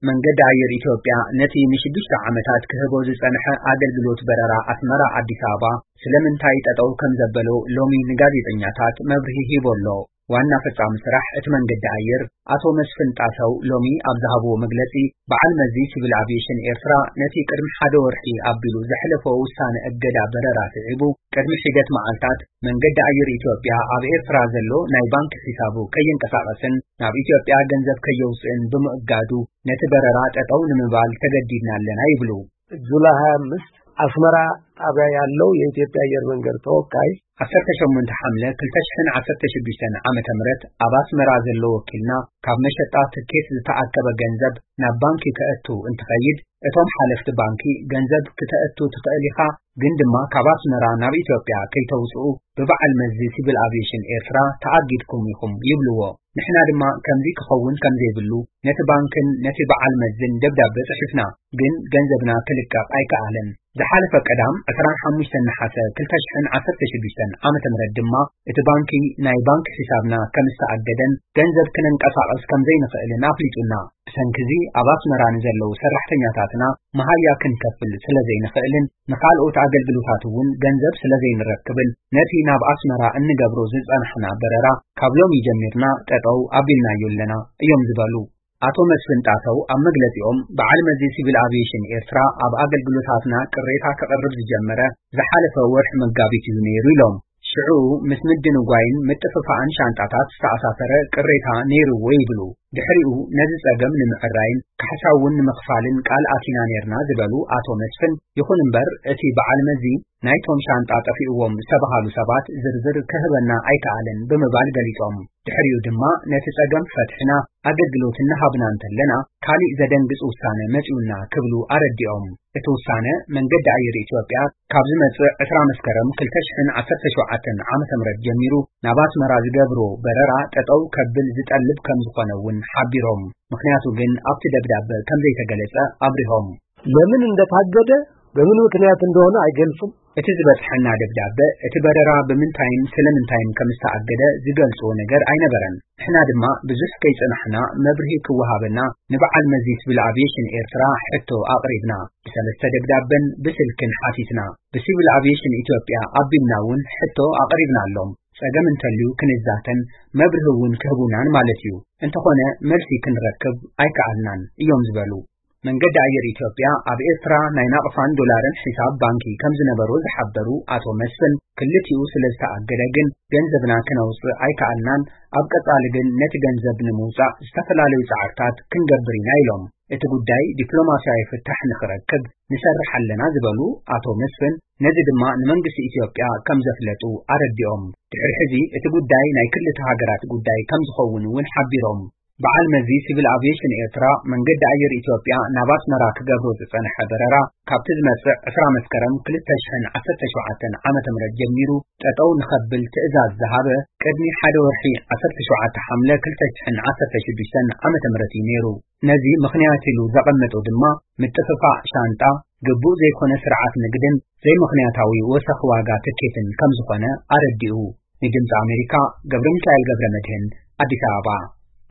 መንገዲ ኣየር ኢትዮጵያ ነቲ ንሽዱሽተ ዓመታት ክህቦ ዝጸንሐ ኣገልግሎት በረራ ኣስመራ ኣዲስ ኣበባ ስለምንታይ ጠጠው ከም ዘበሎ ሎሚ ንጋዜጠኛታት መብርሂ ሂቡ ኣሎ። ዋና ፈጻሚ ስራሕ እቲ መንገዲ ኣየር ኣቶ መስፍን ጣሰው ሎሚ ኣብ ዝሃብዎ መግለጺ፣ በዓል መዚ ሲቪል ኣቪዬሽን ኤርትራ ነቲ ቅድሚ ሓደ ወርሒ ኣቢሉ ዘሕለፎ ውሳነ እገዳ በረራ ስዒቡ፣ ቅድሚ ሒደት መዓልታት መንገዲ ኣየር ኢትዮጵያ ኣብ ኤርትራ ዘሎ ናይ ባንክ ሒሳቡ ከይንቀሳቐስን ናብ ኢትዮጵያ ገንዘብ ከየውጽእን ብምእጋዱ፣ ነቲ በረራ ጠጠው ንምባል ተገዲድና ኣለና ይብሉ። ጁላይ ሃያ ኣምስት ኣስመራ ጣቢያ ያለው የኢትዮጵያ አየር መንገድ ተወካይ፣ ዓሰርተ ሸሞንተ ሓምለ ክልተ ሽሕን ዓሰርተ ሽዱሽተን ዓመተ ምህረት ኣብ ኣስመራ ዘሎ ወኪልና፣ ካብ መሸጣ ትኬት ዝተኣከበ ገንዘብ ናብ ባንኪ ከእቱ እንትኸይድ፣ እቶም ሓለፍቲ ባንኪ፣ "ገንዘብ ክተእቱ ትኽእል ኢኻ፣ ግን ድማ ካብ ኣስመራ ናብ ኢትዮጵያ ከይተውጽኡ ብበዓል መዚ ሲቪል ኣቪዬሽን ኤርትራ ተኣጊድኩም ኢኹም" ይብልዎ። ንሕና ድማ ከምዚ ክኸውን ከም ዘይብሉ ነቲ ባንክን ነቲ በዓል መዝን ደብዳበ ጽሒፍና፣ ግን ገንዘብና ክልቀቕ ኣይከኣለን። ዝሓለፈ ቀዳም ዕስራን ሓሙሽተን ነሓሰ ክልተ ሽሕን ዓሰርተ ሽዱሽተን ዓመተ ምህረት ድማ እቲ ባንኪ ናይ ባንክ ሒሳብና ከም ዝተኣገደን ገንዘብ ክነንቀሳቕስ ከም ዘይንኽእልን ኣፍሊጡና። ብሰንኪ እዚ ኣብ ኣስመራ ንዘለዉ ሰራሕተኛታትና መሃያ ክንከፍል ስለ ዘይንኽእልን ንኻልኦት ኣገልግሎታት እውን ገንዘብ ስለ ዘይንረክብን ነቲ ናብ ኣስመራ እንገብሮ ዝጸናሕና በረራ ካብ ሎሚ ጀሚርና ጠጠው ኣቢልናዮ ኣለና እዮም ዝበሉ። ኣቶ መስፍን ጣሰው ኣብ መግለጺኦም፣ በዓል መዚ ሲቪል ኣቪዬሽን ኤርትራ ኣብ ኣገልግሎታትና ቅሬታ ከቕርብ ዝጀመረ ዝሓለፈ ወርሒ መጋቢት እዩ ነይሩ ኢሎም። ሽዑ ምስ ምድንጓይን ምጥፍፋእን ሻንጣታት ዝተኣሳሰረ ቅሬታ ነይርዎ ይብሉ። ድሕሪኡ ነዚ ጸገም ንምዕራይን ካሕሳ እውን ንምኽፋልን ቃል ኣቲና ነይርና ዝበሉ ኣቶ መስፍን፣ ይኹን እምበር እቲ በዓል መዚ ናይቶም ሻንጣ ጠፊእዎም ዝተባሃሉ ሰባት ዝርዝር ክህበና ኣይከኣለን ብምባል ገሊጾም። ድሕሪኡ ድማ ነቲ ጸገም ፈትሕና ኣገልግሎት እናሃብና እንተለና ካሊእ ዘደንግጽ ውሳነ መጺኡና ክብሉ ኣረዲኦም። እቲ ውሳነ መንገዲ ኣየር ኢትዮጵያ ካብ ዝመጽእ ዕስራ መስከረም ክልተ ሽሕን ዓሰርተ ሸውዓተን ዓመተ ምህረት ጀሚሩ ናብ ኣስመራ ዝገብሮ በረራ ጠጠው ከብል ዝጠልብ ከም ዝኾነ እውን ሓቢሮም። ምኽንያቱ ግን ኣብቲ ደብዳበ ከም ዘይተገለጸ ኣብሪሆም። ለምን እንደታገደ በምን ምክንያት እንደሆነ አይገልጹም። እቲ ዝበጽሐና ደብዳበ እቲ በረራ ብምንታይን ስለምንታይን ከም ዝተኣገደ ዝገልጾ ነገር ኣይነበረን። ንሕና ድማ ብዙሕ ከይጸናሕና መብርሂ ክወሃበና ንበዓል መዚ ሲቪል ኣቪዬሽን ኤርትራ ሕቶ ኣቕሪብና። ብሰለስተ ደብዳበን ብስልክን ሓቲትና። ብሲቪል ኣቪዬሽን ኢትዮጵያ ኣቢልና እውን ሕቶ ኣቕሪብናሎም። ጸገም እንተልዩ ክንዛተን መብርሂ እውን ክህቡናን ማለት እዩ። እንተኾነ መልሲ ክንረክብ ኣይከኣልናን እዮም ዝበሉ። መንገዲ ኣየር ኢትዮጵያ ኣብ ኤርትራ ናይ ናቕፋን ዶላርን ሒሳብ ባንኪ ከም ዝነበሮ ዝሓበሩ ኣቶ መስፍን፣ ክልቲኡ ስለ ዝተኣገደ ግን ገንዘብና ክነውጽእ ኣይከኣልናን፣ ኣብ ቀጻሊ ግን ነቲ ገንዘብ ንምውጻእ ዝተፈላለዩ ጻዕርታት ክንገብር ኢና ኢሎም። እቲ ጉዳይ ዲፕሎማስያዊ ፍታሕ ንኽረክብ ንሰርሕ ኣለና ዝበሉ ኣቶ መስፍን፣ ነዚ ድማ ንመንግስቲ ኢትዮጵያ ከም ዘፍለጡ ኣረዲኦም። ድሕሪ ሕዚ እቲ ጉዳይ ናይ ክልተ ሃገራት ጉዳይ ከም ዝኸውን እውን ሓቢሮም። በዓል መዚ ሲቪል ኣቪዬሽን ኤርትራ መንገዲ ኣየር ኢትዮጵያ ናብ ኣስመራ ክገብሮ ዝጸንሐ በረራ ካብቲ ዝመጽእ ዕስራ መስከረም ክልተ ሽሕን ዓሰርተ ሸውዓተን ዓመተ ምህረት ጀሚሩ ጠጠው ንኸብል ትእዛዝ ዝሃበ ቅድሚ ሓደ ወርሒ ዓሰርተ ሸውዓተ ሓምለ ክልተ ሽሕን ዓሰርተ ሽዱሽተን ዓመተ ምህረት እዩ ነይሩ። ነዚ ምኽንያት ኢሉ ዘቐመጦ ድማ ምጥፍፋእ ሻንጣ፣ ግቡእ ዘይኮነ ስርዓት ንግድን ዘይምኽንያታዊ ወሰኽ ዋጋ ትኬትን ከም ዝኾነ ኣረዲኡ። ንድምፂ ኣሜሪካ ገብረ ሚካኤል ገብረ መድህን ኣዲስ ኣበባ።